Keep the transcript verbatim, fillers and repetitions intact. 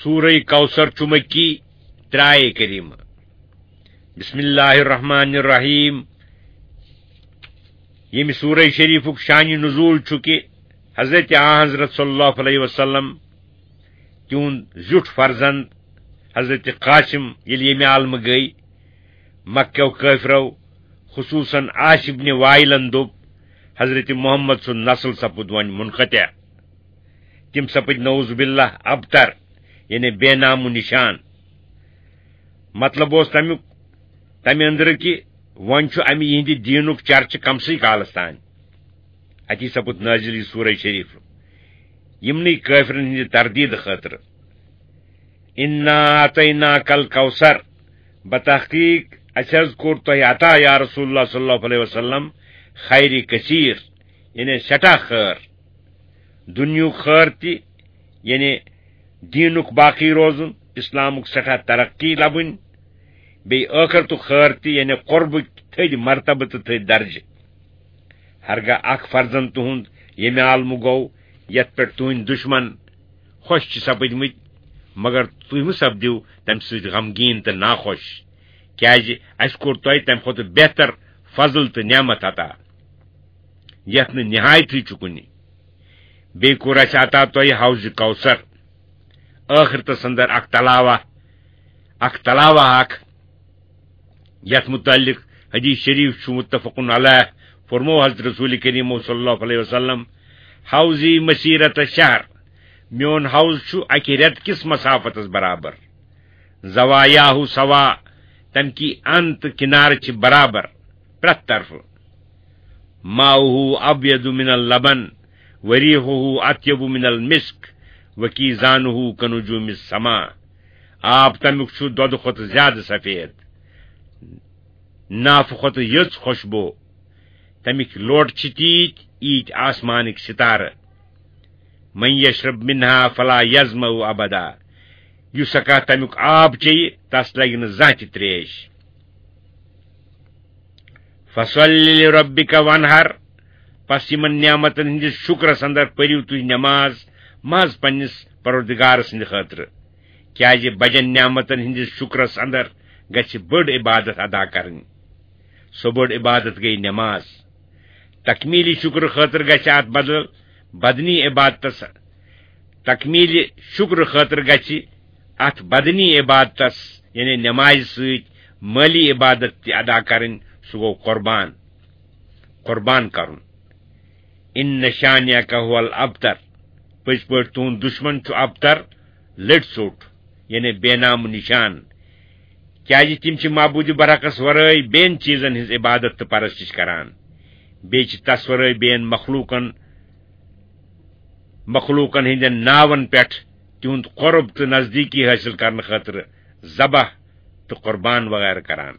سورہ کوثر چھُ مکی، ترٛےٚ آیے کریمہ۔ بسم اللہ الرحمن الرحیم۔ ییٚمہِ سورہ شریفُک شانِ نزول چھُ کہِ حضرت آن حضرت صلی اللہ علیہ وسلم، تِہُنٛد زیُٹھ فرزند حضرت قاسم، ییٚلہِ ییٚمہِ عالمہٕ گٔے، مکہ کیو کٲفرو، خصوصاً عاص ابن وائلن دوٚپ، حضرت محمد سُنٛد نسل سپُد وۄنۍ منقطع۔ تِم سپٕدۍ نعوذ باللہ ابتر، یعنی بے نام و نشان۔ مطلب اوس تمیُک، تمہِ أنٛدرٕ کہِ وۄنۍ چھُ امہِ یِہنٛدِ دیٖنُک چرچہٕ کمسٕے کالس تام۔ اتی سپُد نٲزِل یہِ سورہ شریف یِمنٕے کٲفرن ہٕنٛدِ تردیٖد خٲطرٕ۔ انا اعطیناک الکوثر، بتحقیق اسہِ حض کوٚر تۄہہِ عطا یا رسول اللہ صلی اللہ علیہ وسلم خیر کثیر، یعنی سٮ۪ٹھاہ خٲر۔ دُنیہُک خٲر تہِ، یعنی دیٖنُک باقی روزُن، اِسلامُک سٮ۪ٹھاہ ترقی لبٕنۍ، بیٚیہِ ٲخرتُک خٲر تہِ، یعنی قربٕکۍ تھٔدۍ مرتبہٕ تہٕ تھٔدۍ درجہٕ۔ ہرگاہ اکھ فرزند تُہُنٛد ییٚمہِ عالمہٕ گوٚو، یتھ پٮ۪ٹھ تُہٕنٛدۍ دُشمن خۄش چھِ سپٕدمٕتۍ، مگر تُہۍ مہٕ سپدِو تمہِ سۭتۍ غمگیٖن تہٕ ناخۄش، کیازِ اسہِ کوٚر تۄہہِ تمہِ کھۄتہٕ بہتر فضل تہٕ نعمت عطا، یتھ نہٕ نہایتھٕے چھُ کُنہِ۔ بیٚیہِ کوٚر اسہِ عطا تۄہہِ حوض کوثر۔ ٲخرتس اندر اکھ تلاوہ، اکھ تلاوہ اکھ، یتھ متعلق حدیث شریف چھُ متفق علیہ، فرمو حضرت رسول کریم صلی اللہ علیہ وسلم، حوضی مسیرت شہر، میون حوض چھُ اکہِ رٮ۪تہٕ کِس مسافتس برابر۔ زوایاہ سوا، تمہِ کی ان تہٕ کنارٕ چھِ برابر پرٛٮ۪تھ طرفہٕ۔ ماؤه ابیض من اللبن، وریحه اطیب من المسک، وکیزانه کنجوم السما۔ آب تمیُک چھُ دۄدٕ کھۄتہٕ زیادٕ سفید، نافہٕ کھۄتہٕ یٔژ خوشبو۔ تمِکۍ لوٹ چھِ تیٖتۍ، ییٖتۍ آسمانٕکۍ ستارٕ۔ من یشرب منها فلا یظمأ ابدا۔ یُس ہسا تمیُک آب چیٚیہِ، تس لگہِ نہٕ زانٛہہ تہِ تریش۔ فصل لربک وانحر، پس یِمن نعمتن ہٕنٛدِس شُکرس اندر پٔرِو تُہۍ نماز محض پننِس پروردگار سٕنٛدِ خٲطرٕ، کیازِ بجن نعمتن ہٕنٛدِس شُکرس اندر گژھِ بٔڑ عبادت ادا کرٕنۍ۔ سۄ بٔڑ عبادت گٔے نماز۔ تکمیلی شُکر خٲطرٕ گژھِ اتھ بدل بدنی عبادتس، تکمیلی شُکر خٲطرٕ گژھِ اتھ بدنی عبادتس، یعنی نمازِ سۭتۍ مٲلی عبادت تہِ ادا کرٕنۍ، سُہ گوٚو قربان، قربان کرُن۔ ان شانئک هو الابتر، پٔزۍ پٲٹھۍ تُہُنٛد دُشمن چھُ ابتر، لٔٹۍ ژوٚٹ، یعنی بے نام و نشان۔ کیازِ تِم چھِ معبوٗدِ برحقس ورٲے بیٚین چیٖزن ہٕنٛز عبادت تہٕ پرستش کران۔ بیٚیہِ چھِ تس ورٲے بیٚین مخلوٗقن، مخلوٗقن ہٕنٛدٮ۪ن ناون پٮ۪ٹھ تِہُنٛد قرب تہٕ نزدیٖکی حٲصِل کرنہٕ خٲطرٕ ذبح تہٕ قربان وغیرہ کران۔